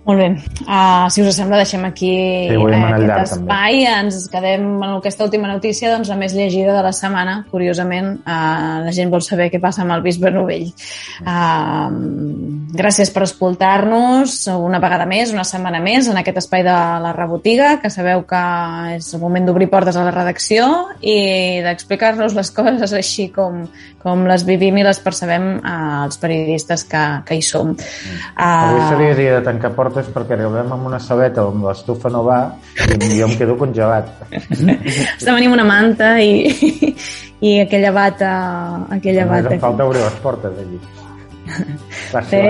Molt bé. Uh, si us sembla, deixem aquí sí, uh, aquest llarg, espai. També. Ens quedem en aquesta última notícia, doncs, la més llegida de la setmana. Curiosament, uh, la gent vol saber què passa amb el bisbe Novell. Uh, gràcies per escoltar-nos una vegada més, una setmana més, en aquest espai de la Rebotiga, que sabeu que és el moment d'obrir portes a la redacció i d'explicar-nos les coses així com, com les vivim i les percebem uh, els periodistes que, que hi som. Uh, Avui seria dia de tancar portes perquè arribem amb una saleta on l'estufa no va i jo em quedo congelat. Estem venint una manta i, i aquella bata... Aquella Només bata em falta obrir les portes allí. Sí,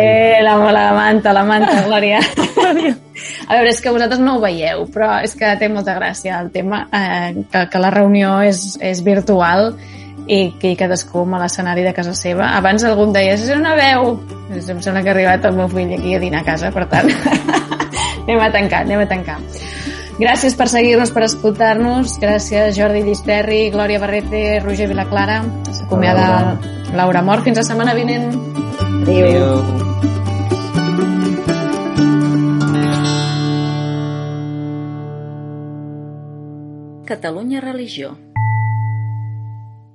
la, la manta, la manta, Glòria. A veure, és que vosaltres no ho veieu, però és que té molta gràcia el tema, eh, que, que la reunió és, és virtual i que cadascú a l'escenari de casa seva. Abans algú em deia, és una veu. Em sembla que ha arribat el meu fill aquí a dinar a casa, per tant, anem a tancar, anem a tancar. Gràcies per seguir-nos, per escoltar-nos. Gràcies, Jordi Llisterri, Glòria Barrete, Roger Vilaclara. S'acomiada Laura Mort. Fins la setmana vinent. Adéu. Catalunya Religió.